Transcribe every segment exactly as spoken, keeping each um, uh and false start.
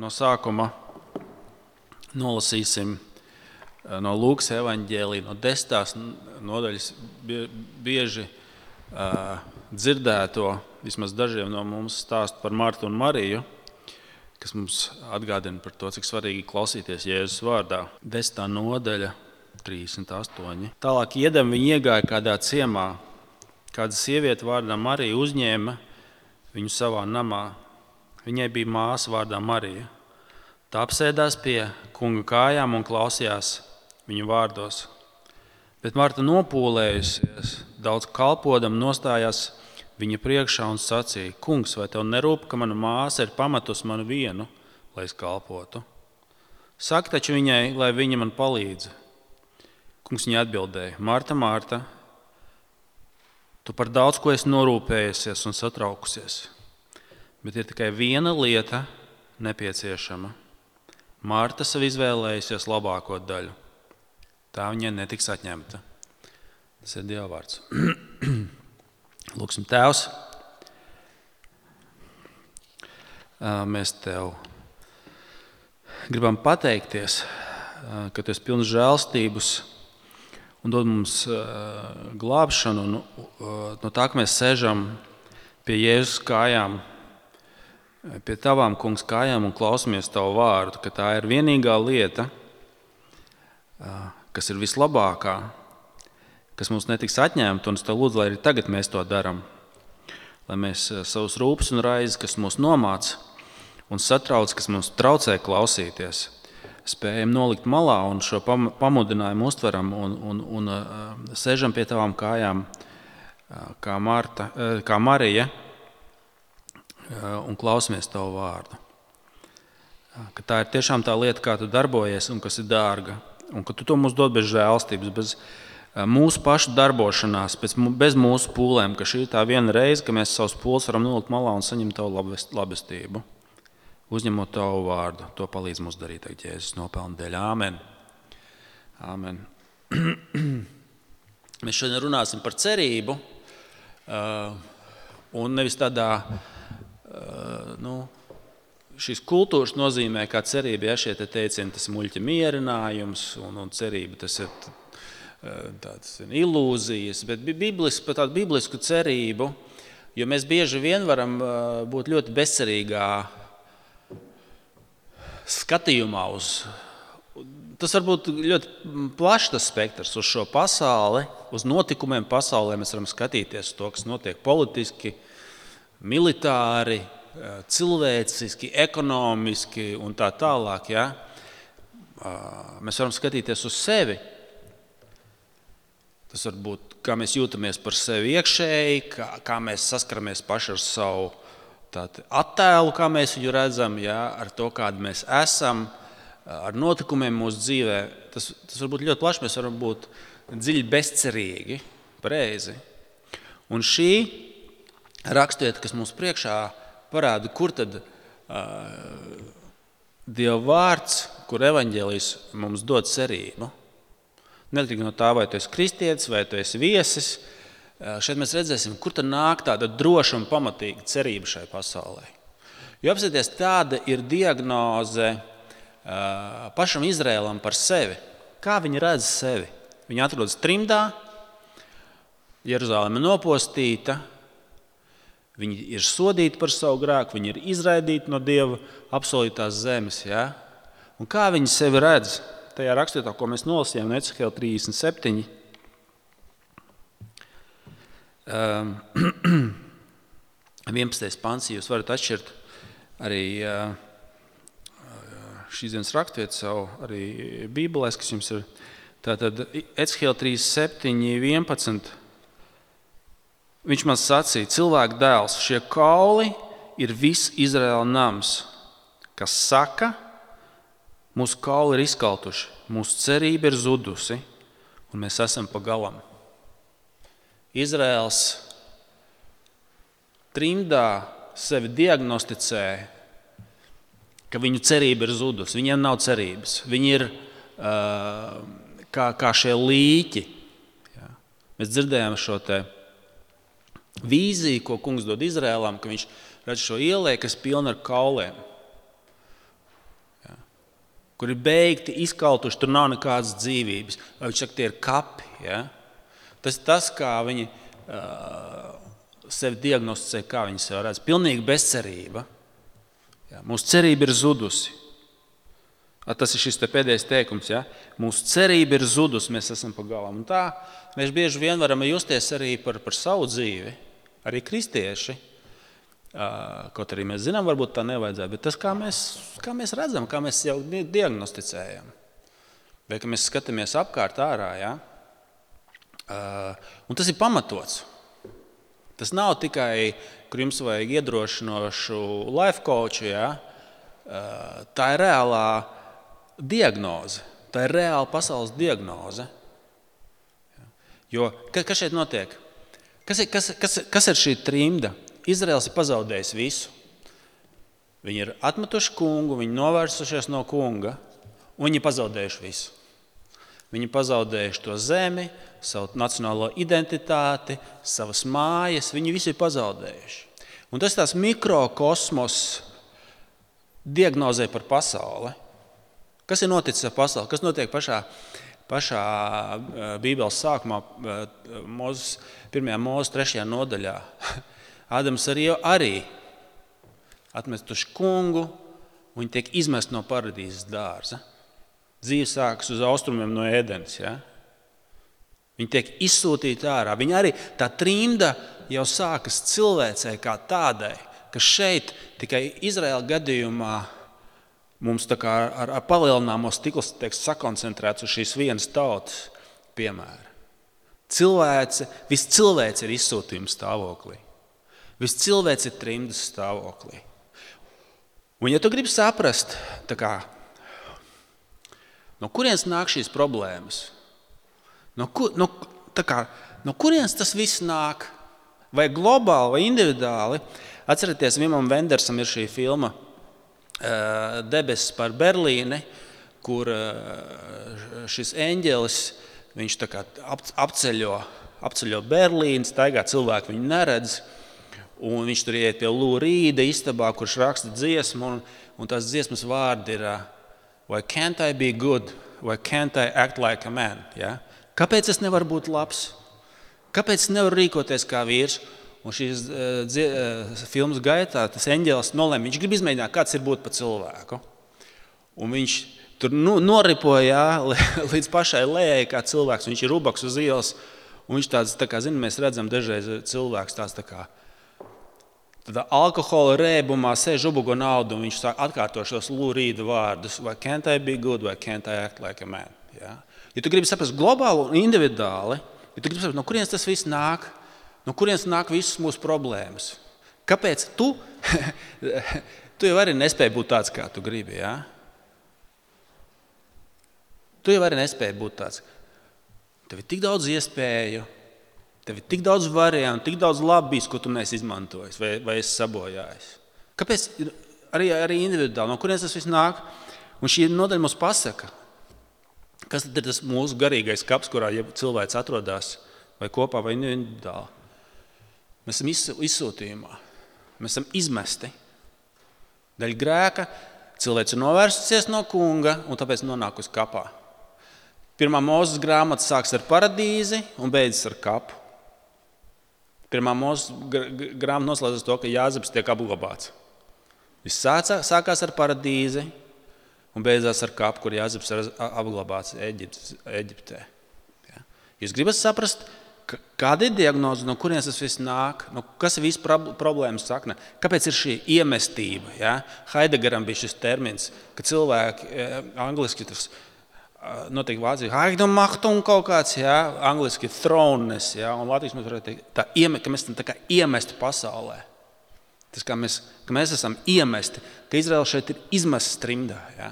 No sākuma nolasīsim no Lūkas evaņģēlija, no desmitās nodaļas bieži uh, dzirdēto, vismaz dažiem no mums stāstu par Martu un Mariju, kas mums atgādina par to, cik svarīgi klausīties Jēzus vārdā. Desmitā nodaļa, trīsdesmit astoņi. Tālāk iedam viņi iegāja kādā ciemā. Kāda sieviete vārdā Marija uzņēma viņu savā namā. Viņai bija māsa vārdā Marija. Tā apsēdās pie kunga kājām un klausījās viņu vārdos. Bet Marta nopūlējusies, daudz kalpodam nostājās viņa priekšā un sacīja: Kungs, vai tev nerūp, ka mana māsa ir pametusi manu vienu, lai es kalpotu? Saki taču viņai, lai viņa man palīdz. Kungs viņai atbildēja: Marta, Marta, tu par daudz ko esi norūpējusies un satraukusies, bet ir tikai viena lieta nepieciešama. Marta sev izvēlējusies labāko daļu. Tā viņai netiks atņemta. Tas ir Dieva vārds. Lūksim, Tēvs, mēs Tev gribam pateikties, ka Tu esi pilns žēlstības un dod mums glābšanu no tā, ka mēs sēžam pie Jēzus kājām, pie Tavām, Kungs, kājām un klausamies Tavu vārdu, ka tā ir vienīgā lieta, kas ir vislabākā, kas mums netiks atņemta, un es Tev lūdzu, lai arī tagad mēs to darām, lai mēs savus rūpes un raizes, kas mūs nomāc un satrauc, kas mums traucē klausīties, spējam nolikt malā un šo pamudinājumu uztveram un, un, un uh, sēžam pie Tavām kājām, uh, kā, Marta, uh, kā Marija, uh, un klausamies Tavu vārdu. Uh, ka tā ir tiešām tā lieta, kā Tu darbojies un kas ir dārga, un ka Tu to mums dod bez žēlstības, bez uh, mūsu pašu darbošanās, bez, bez mūsu pūlēm, ka šī ir tā viena reize, ka mēs savus pūles varam nolikt malā un saņemt Tavu labest, labestību. Uzņemot Tavu vārdu, to palīdz mums darīt, tagad Jēzus nopelna dēļ. Āmen. Āmen. Mēs šodien runāsim par cerību, un nevis tādā, nu, šīs kultūras nozīmē, kā cerība, ja šie te teicieni, tas ir muļķa mierinājums, un, un cerība, tas ir tāds ilūzijas, bet biblis, par tādu biblisku cerību, jo mēs bieži vien varam būt ļoti bezcerīgā skatījumā uz, tas var būt ļoti plašs tas spektrs uz šo pasauli, uz notikumiem pasaulē. Mēs varam skatīties uz to, kas notiek politiski, militāri, cilvēciski, ekonomiski un tā tālāk. Ja? Mēs varam skatīties uz sevi. Tas var būt, kā mēs jūtamies par sevi iekšēji, kā, kā mēs saskaramies paši ar savu Tātad attēlu, kā mēs viņu redzam, ja, ar to, kādi mēs esam, ar notikumiem mūsu dzīvē. Tas, tas var būt ļoti plaši, mēs varam būt dziļi bezcerīgi, pareizi. Un šī rakstvieta, kas mums priekšā parāda, kur tad uh, Dieva vārds, kur evaņģēlijs mums dod cerību. Neatkarīgi no tā, vai tu esi kristietis, vai tu esi viesis, šeit mēs redzēsim, kur tad nāk tāda droša un pamatīga cerība šai pasaulē. Jo apsieties, tāda ir diagnoze uh, pašam Izrēlam par sevi. Kā viņi redz sevi? Viņi atrodas trimdā, Jeruzaleme nopostīta, viņi ir sodīti par savu grēku, viņi ir izraidīti no Dieva apsolītās zemes. Ja? Un kā viņi sevi redz? Tajā rakstvietā, ko mēs nolasījām no Ecehēla trīsdesmit septiņi, vienpadsmitais pants, jūs varat atšķirt arī šīs dienas rakstvietu savu arī bībelēs, kas jums ir. Tātad Ecehēla trīsdesmit septiņi, vienpadsmit. Viņš man sacīja: cilvēku dēls, šie kauli ir viss Izraēla nams, kas saka, mūsu kauli ir izkaltuši, mūsu cerība ir zudusi, un mēs esam pa galam. Izraēls trimdā sevi diagnosticē, ka viņu cerība ir zudusi. Viņiem nav cerības. Viņi ir uh, kā, kā šie līķi. Ja. Mēs dzirdējām šo te vīziju, ko kungs dod Izraēlam, ka viņš redz šo ielēju, kas pilna ar kauliem. kur ir beigti, izkaltuši, tur nav nekādas dzīvības. Vai viņš saka, tie ir kapi. Ja? Tas ir tas, kā viņi uh, sevi diagnosticē, kā viņi sevi redz. Pilnīga bezcerība. Ja? Mūsu cerība ir zudusi. Tas ir šis te pēdējais teikums. Ja? Mūsu cerība ir zudusi, mēs esam pa galam. Un tā mēs bieži vien varam justies arī par, par savu dzīvi, arī kristieši. Kaut arī mēs zinām, varbūt tā nevajadzētu, bet tas, kā mēs, kā mēs redzam, kā mēs jau diagnosticējam. Vai ka mēs skatāmies apkārt ārā, ja? Un tas ir pamatots. Tas nav tikai, kur jums vajag iedrošinošu life coachu, ja? Tā ir reālā diagnoze. Tā ir reāla pasaules diagnoze. Jo, kas šeit notiek? Kas ir, kas, kas, kas ir šī trimda? Izraels ir pazaudējis visu. Viņi ir atmetuši kungu, viņi novērsušies no kunga, un viņi ir pazaudējuši visu. Viņi ir pazaudējuši to zemi, savu nacionālo identitāti, savas mājas, viņi visi ir pazaudējuši. Un tas tās mikrokosmos diagnozē par pasauli. Kas ir noticis ar pasauli? Kas notiek pašā, pašā Bībeles sākumā, Mūzes, pirmajā Mūzes trešajā nodaļā? Ādams arī, arī atmestuši kungu, un viņi tiek izmest no paradīzes dārza. Dzīve sākas uz austrumiem no Ēdenes. Ja? Viņi tiek izsūtīti ārā. Viņi arī tā trimda jau sākas cilvēcei kā tādai, ka šeit tikai Izraēla gadījumā mums tā kā ar, ar palielināmo stikls tiek sakoncentrēts uz šīs vienas tautas piemēra. Cilvēce, viss cilvēce ir izsūtījuma stāvoklī. Viss cilvēks ir trimdas stāvoklī. Un ja tu gribi saprast, tā kā, no kurienes nāk šīs problēmas, no, kur, no, tā kā, no kurienes tas viss nāk, vai globāli, vai individuāli, atcerieties, Vimam Vendersam ir šī filma uh, Debesis par Berlīni, kur uh, šis eņģelis, viņš tā kā ap, apceļo, apceļo Berlīni, staigā cilvēki viņu neredz, un viņš tur iet pie Lou Reeda istabā, kurš raksta dziesmu, un, un tās dziesmas vārdi ir Why can't I be good? Why can't I act like a man? Ja? Kāpēc es nevaru būt labs? Kāpēc es nevaru rīkoties kā vīrs? Un šīs uh, dzie, uh, filmas gaitā tas eņģelis nolēma, viņš grib izmēģināt, kāds ir būt pa cilvēku. Un viņš tur nu, noripoja līdz pašai lejai kā cilvēks, viņš ir rubaks uz ielas, un viņš tāds, tā kā, zin, mēs redzam dažreiz cilvēks tāds tā kā, Tādā alkohola rēbumā sēž ubugo naudu, un viņš sāk atkārto šos Lou Reeda vārdus. Why can't I be good, why can't I act like a man? Ja, ja tu gribi saprast globāli un individuāli, ja tu gribi saprast, no kurienes tas viss nāk, no kurienes nāk visas mūsu problēmas. Kāpēc tu, tu jau arī nespēji būt tāds, kā tu gribi, ja? Tu jau arī nespēji būt tāds. Tev ir tik daudz iespēju, tev ir tik daudz variantu, tik daudz labīs, ko tu neesi izmantojis vai, vai esi sabojājis. Kāpēc arī, arī individuāli, no kurienes tas viss nāk? Un šī nodaļa mums pasaka, kas tad ir tas mūsu garīgais kaps, kurā ja cilvēks atrodas vai kopā vai individuāli. Mēs esam izsūtījumā, mēs esam izmesti. Daļa grēka cilvēks ir novērsusies no kunga un tāpēc nonāk uz kapā. Pirmā Mūzes grāmata sāks ar paradīzi un beidzas ar kapu. Pirmā Mūzes grāmata noslēdzas to, ka Jāzeps tiek apglabāts. Viss sākās ar paradīzi un beidzās ar kapu, kur Jāzeps ir apglabāts Eģiptē. Ja? Jūs gribat saprast, kāda ir diagnoze, no kurienes tas viss nāk, no kas ir viss problēmas sakne? Kāpēc ir šī iemestība? Ja? Heidegaram bija šis termins, ka cilvēki, angliski tas notiek Vācijā, Heidemachtung kaut kāds, ja? Angliski throneness, ja? Un Latvijas mēs varētu teikt, tā, ka mēs esam tā kā iemesti pasaulē. Tas, kā mēs, ka mēs esam iemesti, ka Izraela šeit ir izmests trimdā. Ja?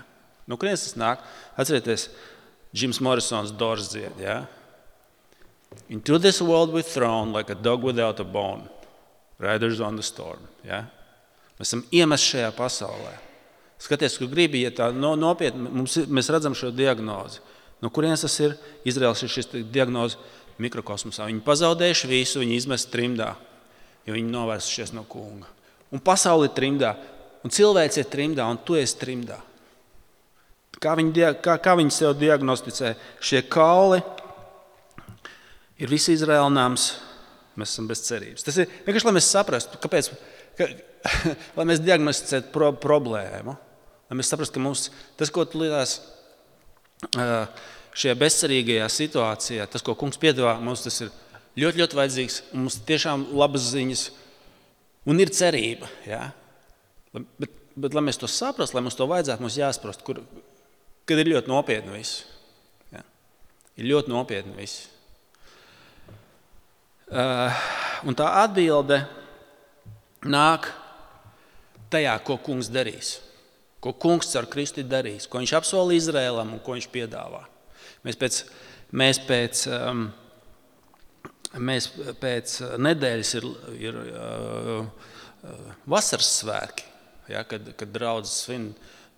No kurienes tas nāk? Atcerieties, Jims Morrisons Doors dzied, ja? Into this world we thrown like a dog without a bone, riders on the storm. Ja? Mēs esam iemesti šajā pasaulē. Skaties, kur gribi, ja tā no, nopietni, mums, mēs redzam šo diagnozi. No kurienes tas ir? Izraels ir šis diagnoze mikrokosmosā. Viņi pazaudējuši visu, viņi izmest trimdā, jo viņi novērsušies no kunga. Un pasauli ir trimdā, un cilvēks ir trimdā, un tu esi trimdā. Kā viņi, kā, kā viņi sev diagnosticē? Šie kauli ir visi Izraēla nams, mēs esam bez cerības. Tas ir vienkārši, lai mēs saprastu, kāpēc, ka, lai mēs diagnosticētu pro, problēmu, lai mēs saprastu, ka mums tas, ko tu lietās šajā bezcerīgajā situācijā, tas, ko kungs piedāvā, mums tas ir ļoti, ļoti vajadzīgs, un mums tiešām labas ziņas, un ir cerība. Ja? Bet, bet, lai mēs to saprastu, lai mums to vajadzētu, mums jāsprast, kur, kad ir ļoti nopietni viss. Ja? Ir ļoti nopietni viss. Uh, un tā atbilde nāk tajā, ko kungs darīs. Ko kungs ar Kristu darīs, ko viņš apsolīja Izrēlam un ko viņš piedāvā. Mēs pēc, mēs pēc, um, mēs pēc nedēļas ir, ir uh, uh, vasaras svētki, ja, kad, kad draudzes svin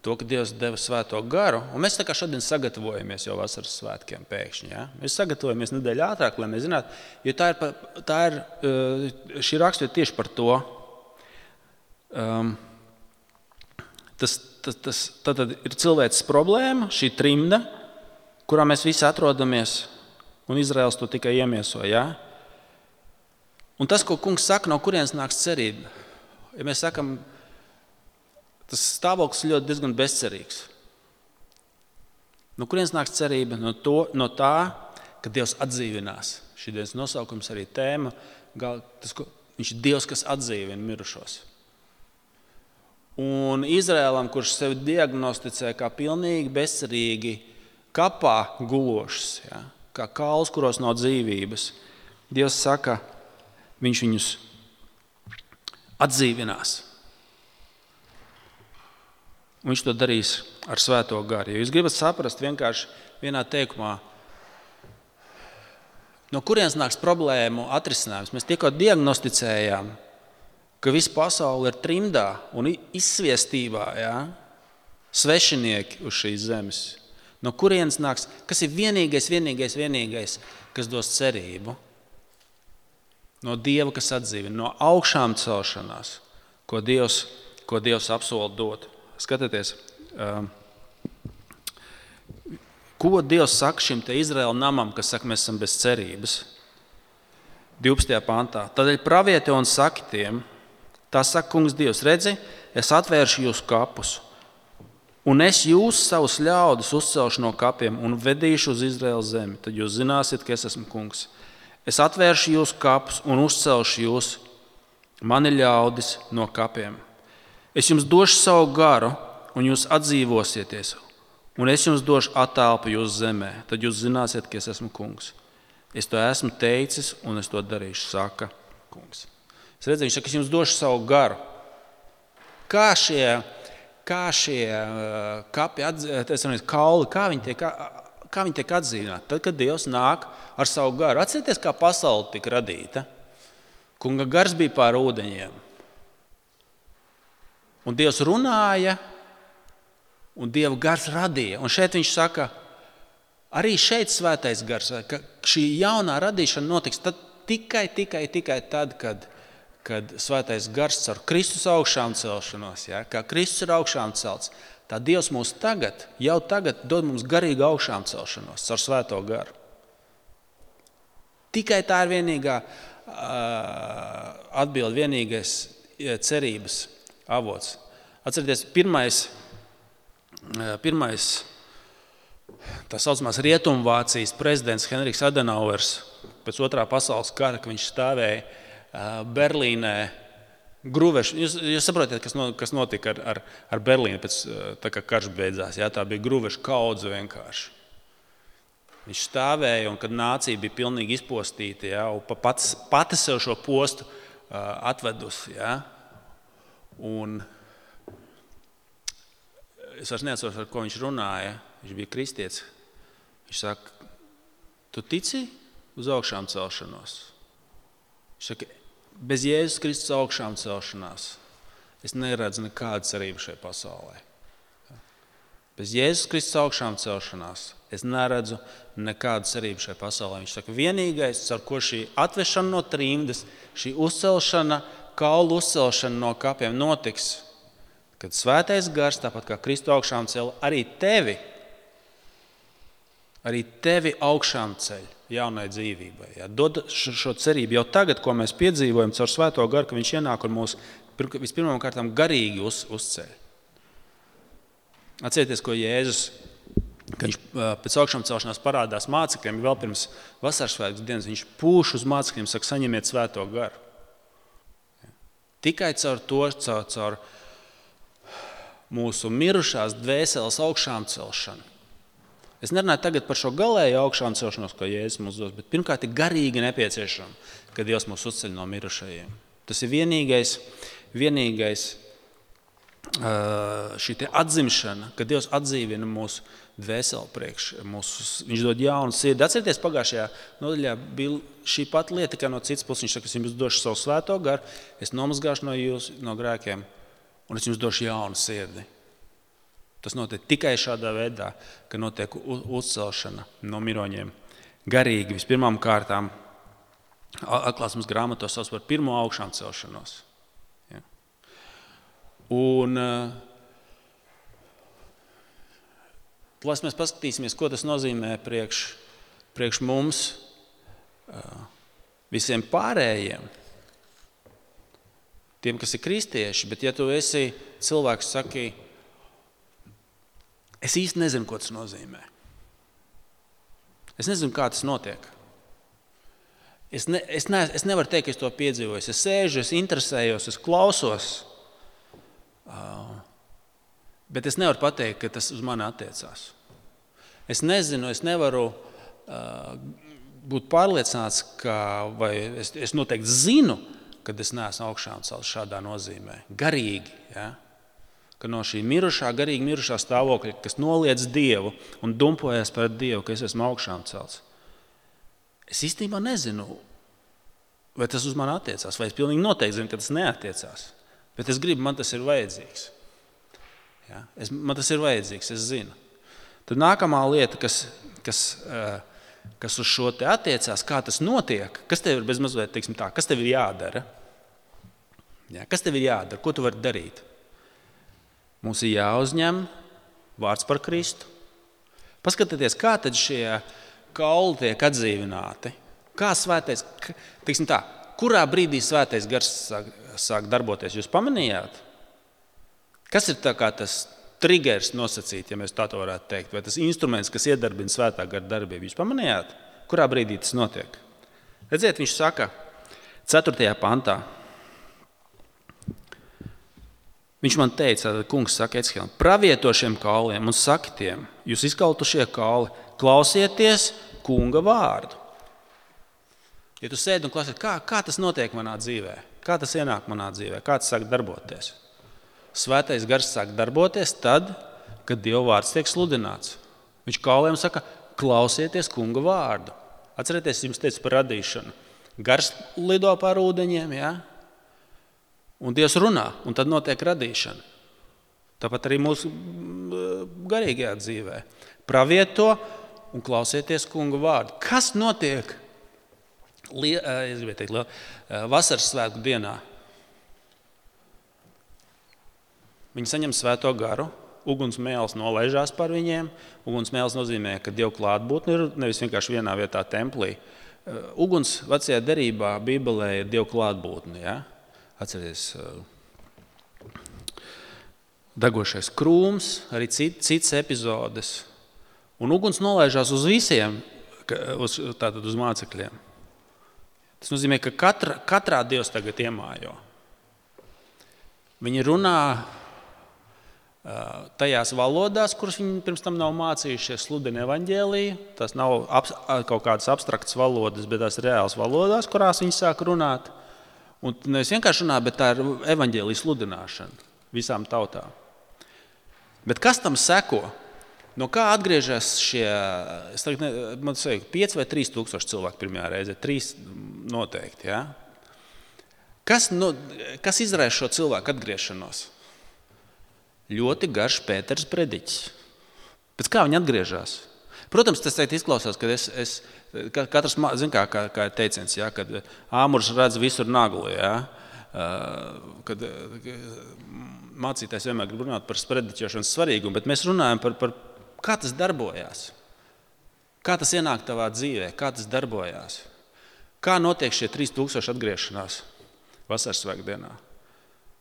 to, ka Dievs deva svēto garu. Un mēs tā kā šodien sagatavojamies jau vasaras svētkiem pēkšņi. Ja? Mēs sagatavojamies nedēļu ātrāk, lai mēs zinātu, jo tā ir, tā ir, šī rakstura tieši par to. Um, tas, tas, tas tad ir cilvēces problēma, šī trimda, kurā mēs visi atrodamies, un Izraels to tikai iemieso. Ja? Un tas, ko kungs saka, no kurienes nāks cerība. Ja mēs sakam, tas stāvoklis ļoti diezgan bezcerīgs. No kurienes nāks cerība? No, to, no tā, ka Dievs atdzīvinās. Šī dienas nosaukums arī tēma. Tas, ko, viņš ir Dievs, kas atdzīvina mirušos. Un Izrēlam, kurš sevi diagnosticē kā pilnīgi bezcerīgi kapā gulošs, ja, kā kauls, kuros nav dzīvības, Dievs saka, viņš viņus atdzīvinās. Un viņš to darīs ar svēto garu. Ja jūs gribat saprast vienkārši vienā teikumā, no kurienes nāks problēmu atrisinājums. Mēs tikko diagnosticējām, ka visa pasaule ir trimdā un izsviestībā, ja? Svešinieki uz šīs zemes. No kurienes nāks, kas ir vienīgais, vienīgais, vienīgais, kas dos cerību? No Dieva, kas atdzīvina, no augšām celšanās, ko Dievs, ko Dievs apsola dot. Skatieties, ko Dievs saka šim te Izraēla namam, kas saka, mēs esam bez cerības. divpadsmitajā pantā. Tādēļ pravieti un saki tiem, tā saka kungs Dievs, redzi, es atvēršu jūsu kapus, un es jūs savus ļaudis uzcelšu no kapiem un vedīšu uz Izraēla zemi. Tad jūs zināsiet, ka es esmu kungs. Es atvēršu jūsu kapus un uzcelšu jūs, mani ļaudis, no kapiem. Es jums došu savu garu, un jūs atdzīvosieties, un es jums došu attelpu jūsu zemē. Tad jūs zināsiet, ka es esmu kungs. Es to esmu teicis, un es to darīšu, saka kungs. Es redzēju, viņš saka, es jums došu savu garu. Kā šie, kā šie kapi, atdzīvināti, kauli, kā viņi tiek, kā viņi tiek atdzīvināti? Tad, kad Dievs nāk ar savu garu. Atcerieties, kā pasaule tika radīta. Kunga gars bija pār ūdeņiem. Un Dievs runāja, un Dieva gars radīja. Un šeit viņš saka, arī šeit svētais gars, ka šī jaunā radīšana notiks tad, tikai, tikai, tikai tad, kad, kad svētais gars ar Kristus augšām celšanos, ja, kā Kristus ir augšām celts, tā Dievs mūs tagad, jau tagad dod mums garīgu augšām celšanos ar svēto garu. Tikai tā ir vienīgā uh, atbilde, vienīgais cerības avots. Atcerieties, pirmais, pirmais tā saucamās Rietumvācijas prezidents Henriks Adenauers pēc otrā pasaules kara, ka viņš stāvēja Berlīnē gruvešu. Jūs, jūs saprotiet, kas, no, kas notika ar, ar, ar Berlīnu pēc tā, kā karš beidzās. Jā, tā bija gruvešu kaudze vienkārši. Viņš stāvēja, un kad nācija bija pilnīgi izpostīta, jā, un pats, pati sev šo postu uh, atvedusi. Jā. Un es vairs neatceros, ar ko viņš runāja. Viņš bija kristietis. Viņš saka, tu tici uz augšām celšanos? Viņš saka, bez Jēzus Kristus augšām celšanās es neredzu nekādu cerību šai pasaulē. Bez Jēzus Kristus augšām celšanās es neredzu nekādu cerību šai pasaulē. Viņš saka, vienīgais, ar ko šī atvešana no trimdas, šī uzcelšana, kaulu uzcelšana no kapiem notiks, kad svētais gars, tāpat kā Kristu augšām cela, arī tevi arī tevi augšām ceļ jaunai dzīvībai. Ja? Dod šo cerību jau tagad, ko mēs piedzīvojam caur Svēto garu, ka viņš ienāk un mūs vispirmām kārtām garīgi uz, uzceļ. Atcerieties, ko Jēzus, ka viņš pēc augšām celšanās parādās mācekļiem, vēl pirms vasaras svētku dienas, viņš pūš uz mācekļiem, saka, saņemiet Svēto garu. Tikai caur to, caur, caur mūsu mirušās dvēseles augšām celšanu. Es nerunāju tagad par šo galēju augšām celšanos, ko Jēzus mums dos, bet pirmkārt ir garīgi nepieciešama, kad Dievs mūs uzceļ no mirušajiem. Tas ir vienīgais, vienīgais šī te atzimšana, kad Dievs atdzīvina mūsu dvēseli priekš. Mūsu, viņš dod jaunu sirdi. Atcerieties, pagājušajā nodaļā bija šī pati lieta, kā no citas puses. Viņš saka, es jums došu savu Svēto garu, es nomazgāšu no jūs, no grēkiem, un es jums došu jaunu sirdi. Tas notiek tikai šādā veidā, ka notiek uzcelšana no miroņiem. Garīgi vispirmām kārtām atklāsmes grāmatā sauc par pirmo augšām celšanos. Ja. Un plās mēs paskatīsimies, ko tas nozīmē priekš, priekš mums visiem pārējiem, tiem, kas ir kristieši, bet ja tu esi cilvēks, saki, es īsti nezinu, ko tas nozīmē. Es nezinu, kā tas notiek. Es, ne, es, ne, es nevaru teikt, ka es to piedzīvoju. Es sēžu, es interesējos, es klausos, uh, bet es nevaru pateikt, ka tas uz mani attiecās. Es nezinu, es nevaru uh, būt pārliecināts, ka, vai es, es noteikti zinu, kad es neesmu augšām celts šādā nozīmē. Garīgi, ja? Ka no šī mirušā, garīgi mirušā stāvokļa, kas noliedz Dievu un dumpojas par Dievu, ka es esmu augšām celts. Es īstenībā nezinu, vai tas uz mani attiecās, vai es pilnīgi noteikti zinu, ka tas neattiecās. Bet es gribu, man tas ir vajadzīgs. Ja? Es, man tas ir vajadzīgs, es zinu. Tad nākamā lieta, kas, kas, kas uz šo te attiecās, kā tas notiek, kas tev ir bez mazliet, teiksim tā, kas tev ir jādara? Ja? Kas tev ir jādara? Ko tu vari darīt? Mums ir jāuzņem vārds par Kristu. Paskatieties, kā tad šie kauli tiek atdzīvināti. Kā svētais, teiksim tā, kurā brīdī svētais gars sāk, sāk darboties? Jūs pamanījāt? Kas ir tā kā tas triggers nosacīt, ja mēs tā to varētu teikt? Vai tas instruments, kas iedarbina svētā gara darbību? Jūs pamanījāt? Kurā brīdī tas notiek? Redziet, viņš saka ceturtajā pantā. Viņš man teica, tad kungs saka Ecihēlam, pravieto šiem kauliem un saki tiem, jūs izkaltušie kauli, klausieties kunga vārdu. Ja tu sēdi un klausies, kā, kā tas notiek manā dzīvē? Kā tas ienāk manā dzīvē? Kā tas sāk darboties? Svētais gars sāk darboties tad, kad Dieva vārds tiek sludināts. Viņš kauliem saka, klausieties kunga vārdu. Atcerieties, jums teica par radīšanu. Gars lido pār ūdeņiem, jā? Un Dievs runā, un tad notiek radīšana. Tāpat arī mūsu garīgajā dzīvē. Pravieto un klausieties kunga vārdu. Kas notiek es gribēju teikt, vasaras svētku dienā? Viņi saņem Svēto garu, uguns mēls nolaižās par viņiem. Uguns mēls nozīmē, ka Dieva klātbūtne ir nevis vienkārši vienā vietā templī. Uguns vecajā derībā Bībelē ir Dieva klātbūtne, ja? Atcerieties, degošais krūms, arī cit, cits epizodes. Un uguns nolaižās uz visiem, uz, tātad uz mācekļiem. Tas nozīmē, ka katra, katrā Dievs tagad iemājo. Viņi runā tajās valodās, kuras viņi pirms tam nav mācījušies, sludina evaņģēliju. Tas nav ap, kaut kādas abstraktas valodas, bet tās reālas valodās, kurās viņi sāk runāt. Un nevis vienkārši runā, bet tā ir evaņģēlija sludināšana visām tautām. Bet kas tam seko? No kā atgriežas šie, es tagad, ne, man saka, pieci vai trīs tūkstoši cilvēki pirmajā reizē? Trīs noteikti, ja? Kas, no, kas izraisa šo cilvēku atgriešanos? Ļoti garš Pēters prediķis. Pēc kā viņi atgriežas? Protams, tas teikt izklausās, ka es, es katrs, zin kā, kā, kā ir teiciens, ja, kad āmurs redz visur naglu, ja, kad mācītājs vienmēr grib runāt par sprediķošanas svarīgumu, bet mēs runājam par, par kā tas darbojās. Kā tas ienāk tavā dzīvē? Kā tas darbojās? Kā notiek šie trīs tūkstoši atgriešanās vasaras svētdienā?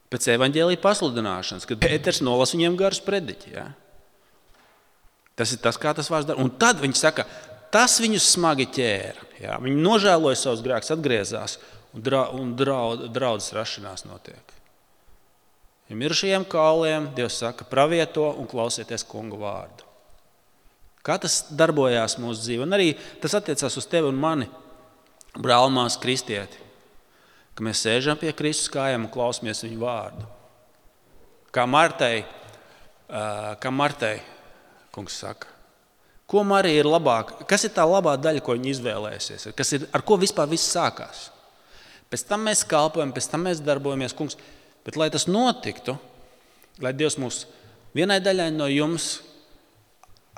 Pēc evaņģēlija pasludināšanas, kad Pēters nolas viņiem garus prediķi. Ja? Tas ir tas, kā tas vārds dara. Un tad viņi saka, tas viņus smagi ķēra. Ja? Viņi nožēloja savus grēkus, atgriezās un, dra, un draud, draudzes rašanās notiek. Ja mirušajiem kauliem Dievs saka, pravieto un klausieties kunga vārdu. Kā tas darbojās mūsu dzīvē? Un arī tas attiecās uz tevi un mani, brālmās kristieti. Ka mēs sēžam pie Kristus kājām un klausamies viņu vārdu. Kā Martai, kā Martai kungs saka, ko Marija ir labāk, kas ir tā labā daļa, ko viņa izvēlēsies, kas ir, ar ko vispār viss sākās. Pēc tam mēs kalpojam, pēc tam mēs darbojamies, kungs, bet lai tas notiktu, lai Dievs mūs vienai daļai no jums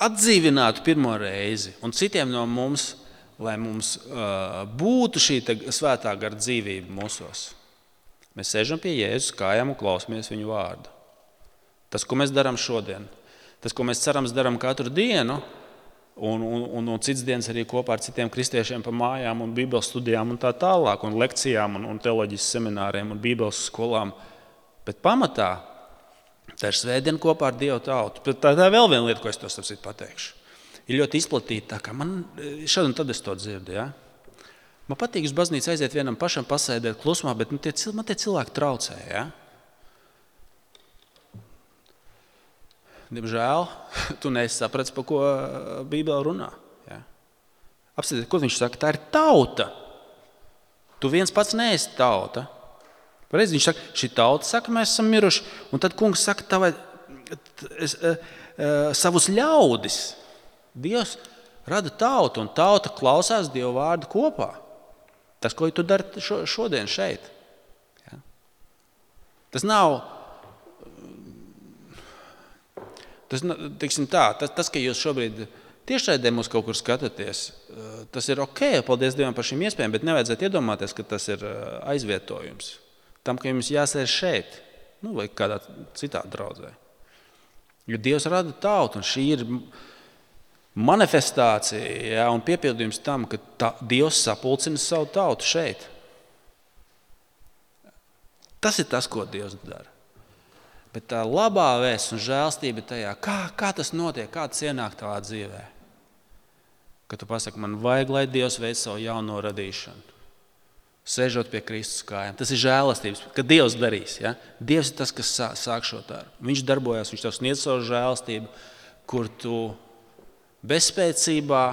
atdzīvinātu pirmo reizi un citiem no mums, lai mums uh, būtu šī svētā gara dzīvība mūsos. Mēs sēžam pie Jēzus kājām un klausamies viņu vārdu. Tas, ko mēs darām šodien, tas, ko mēs cerams darām katru dienu, un, un, un, un cits dienas arī kopā ar citiem kristiešiem pa mājām un bībeles studijām un tā tālāk, un lekcijām un, un teoloģijas semināriem un bībeles skolām. Bet pamatā tā ir svētdiena kopā ar Dievu tautu. Tā, tā ir vēl viena lieta, ko es to sapsit pateikšu. Ir ļoti izplatīta, tā kā man šad un tad es to dzirdu. Ja? Man patīk uz baznīcu aiziet vienam pašam pasēdēt klusumā, bet man tie, man tie cilvēki traucē. Ja? Diemžēl, tu neesi saprats, par ko Bībele runā. Ja? Apsēdiet, ko viņš saka? Tā ir tauta. Tu viens pats neesi tauta. Pareizi viņš saka, šī tauta saka, mēs esam miruši. Un tad kungs saka, tavai, es, uh, uh, savus ļaudis. Dievs rada tautu, un tauta klausās Dievu vārdu kopā. Tas, ko tu dari šo, šodien šeit. Ja? Tas nav, tas, teiksim tā, tas, tas, ka jūs šobrīd tiešraidē mūs kaut kur skatāties, tas ir ok, paldies Dievam par šīm iespējām, bet nevajadzētu iedomāties, ka tas ir aizvietojums. Tam, ka jums jāsēž šeit, nu, vai kādā citā draudzē. Jo Dievs rada tautu, un šī ir manifestācija, ja, un piepildījums tam, ka tā, Dievs sapulcina savu tautu šeit. Tas ir tas, ko Dievs dara. Bet tā labā vēsts un žēlstība tajā, kā, kā tas notiek, kā tas ienāk tavā dzīvē. Kad tu pasaki, man vajag, lai Dievs veic savu jauno radīšanu. Sēžot pie Kristus kājām. Tas ir žēlastības, ka Dievs darīs. Ja? Dievs ir tas, kas sāk šo darbu. Viņš darbojas, viņš tev sniedz savu žēlastību, kur tu bezspēcībā,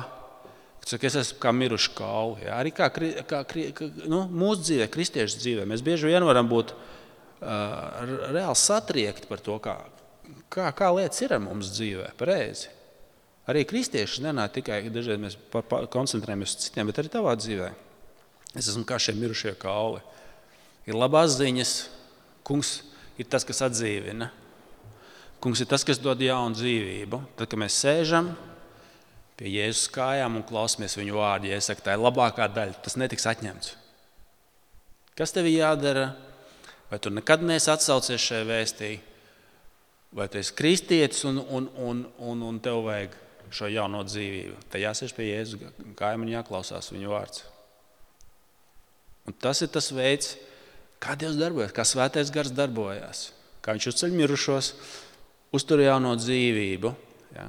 kad es esmu kā miruši kauli. Ja? Arī kā, kā, kā nu, mūsu dzīvē, kristiešu dzīvē. Mēs bieži vien varam būt uh, reāli satriekti par to, kā, kā, kā lietas ir ar mums dzīvē. Pareizi. Arī kristieši nenāk tikai, dažreiz mēs pa, pa, koncentrējamies uz citiem, bet arī tavā dzīvē. Es esmu kā šie mirušie kauli. Ir labās ziņas. Kungs ir tas, kas atdzīvina. Kungs ir tas, kas dod jaunu dzīvību. Tad, kad mēs sēžam pie Jēzus kājām un klausamies viņu vārdu, ja es saku, tā ir labākā daļa, tas netiks atņemts. Kas tev jādara? Vai tu nekad neesi atsaucies šajā vēstī? Vai tu esi kristietis un, un, un, un, un tev vajag šo jauno dzīvību? Tad jāsēž pie Jēzus kājām un jāklausās viņu vārds. Un tas ir tas veids, kā Dievs darbojas, kā svētais gars darbojas, kā viņš uzceļ mirušos, uztur jauno dzīvību. Ja?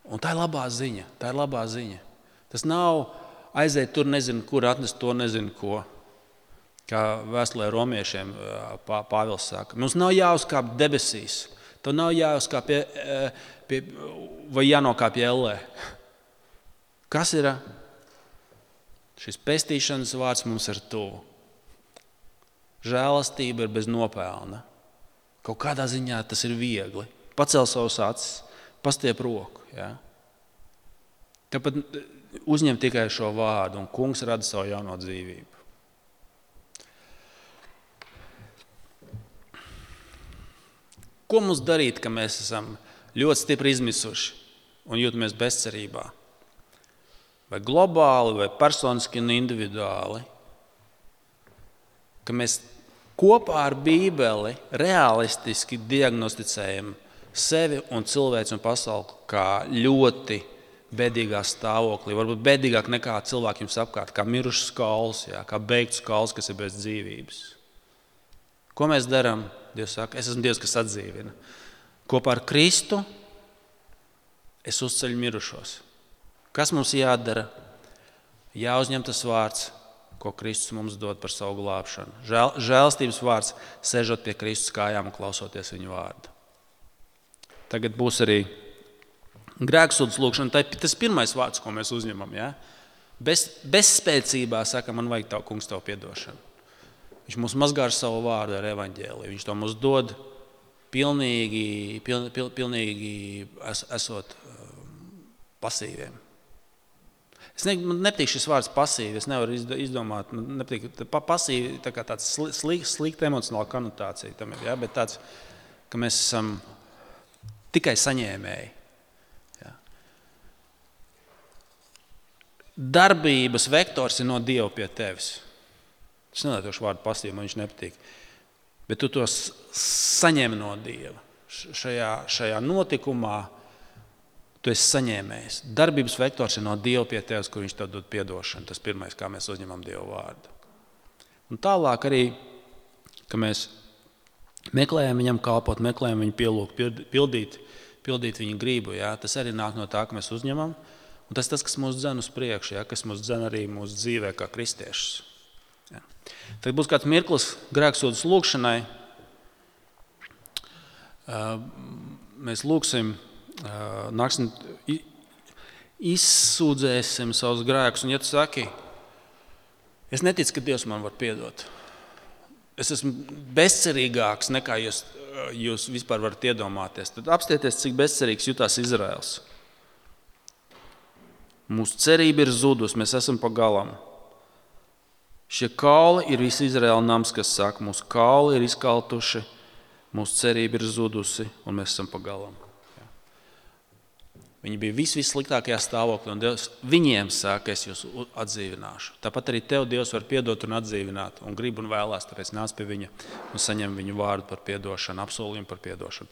Un tā ir labā ziņa, tā ir labā ziņa. Tas nav aiziet tur nezinu, kur atnest to nezinu ko. Kā vēstulē romiešiem Pāvils saka, mums nav jāuzkāp debesīs, tev nav jāuzkāp pie, pie, vai jānokāp pie ellē. Kas ir? Šis pestīšanas vārds mums ir tuvu. Žēlastība ir bez nopelna. Kaut kādā ziņā tas ir viegli. Pacel savus acis, pastiep roku. Ja? Tāpat uzņem tikai šo vārdu, un kungs rada savu jauno dzīvību. Ko mums darīt, ka mēs esam ļoti stipri izmisuši un jūtamies bezcerībā? Vai globāli, vai personiski un individuāli, ka mēs kopā ar Bībeli realistiski diagnosticējam sevi un cilvēci un pasauli kā ļoti bēdīgā stāvoklī, varbūt bēdīgāk nekā cilvēki jums apkārt, kā mirušs kauls, jā, kā beigts kauls, kas ir bez dzīvības. Ko mēs darām? Dievs saka, es esmu Dievs, kas atdzīvina. Kopā ar Kristu es uzceļu mirušos. Kas mums jādara? Jāuzņem tas vārds, ko Kristus mums dod par savu glābšanu. Žēl, žēlstības vārds, sēžot pie Kristus kājām un klausoties viņu vārdu. Tagad būs arī grēksūdzes lūgšana. Tas ir pirmais vārds, ko mēs uzņemam. Ja? Bez, bezspēcībā saka, man vajag tavu, kungs, tavu piedošanu. Viņš mums mazgā ar savu vārdu, ar evaņģēliju. Viņš to mums dod pilnīgi, piln, pil, pilnīgi es, esot pasīviem. Es ne, man nepatīk šis vārds pasīvi, es nevaru izdomāt, man nepatīk, pasīvi tā kā tāds slikta slik, emocionāla konotācija tam ir, ja? Bet tāds, ka mēs esam tikai saņēmēji. Ja? Darbības vektors ir no Dieva pie tevis. Es nelietošu vārdu pasīvi, man viņš nepatīk. Bet tu to saņem no Dieva. Šajā, šajā notikumā tu esi saņēmējis. Darbības vektors ir no Dieva pie tevis, kur viņš tev dod piedošanu. Tas pirmais, kā mēs uzņemam Dieva vārdu. Un tālāk arī, ka mēs meklējam viņam kalpot, meklējam viņu pielūgt, pildīt, pildīt viņu gribu. Ja? Tas arī nāk no tā, ka mēs uzņemam. Un tas tas, kas mūs dzen uz priekšu, ja? Kas mūs dzen arī mūsu dzīvē kā kristiešus. Ja. Tad būs kāds mirklis grēksūdzes lūgšanai. Mēs lūgsim, nāksim, izsūdzēsim savus grēkus. Un ja tu saki, es neticu, ka Dievs man var piedot. Es esmu bezcerīgāks nekā jūs, jūs vispār varat iedomāties. Tad apstieties, cik bezcerīgs jutās Izraels. Mūsu cerība ir zudus, mēs esam pa galam. Šie kauli ir visi Izraēla nams, kas saka, mūsu kauli ir izkaltuši, mūsu cerība ir zudusi un mēs esam pa galam. Ja. Viņi bija vis, vissliktākajā stāvoklī un Dievs viņiem saka, es jūs atdzīvināšu. Tāpat arī tev Dievs var piedot un atdzīvināt un grib un vēlās, tāpēc nāc pie viņa un saņem viņu vārdu par piedošanu, apsolījumu par piedošanu.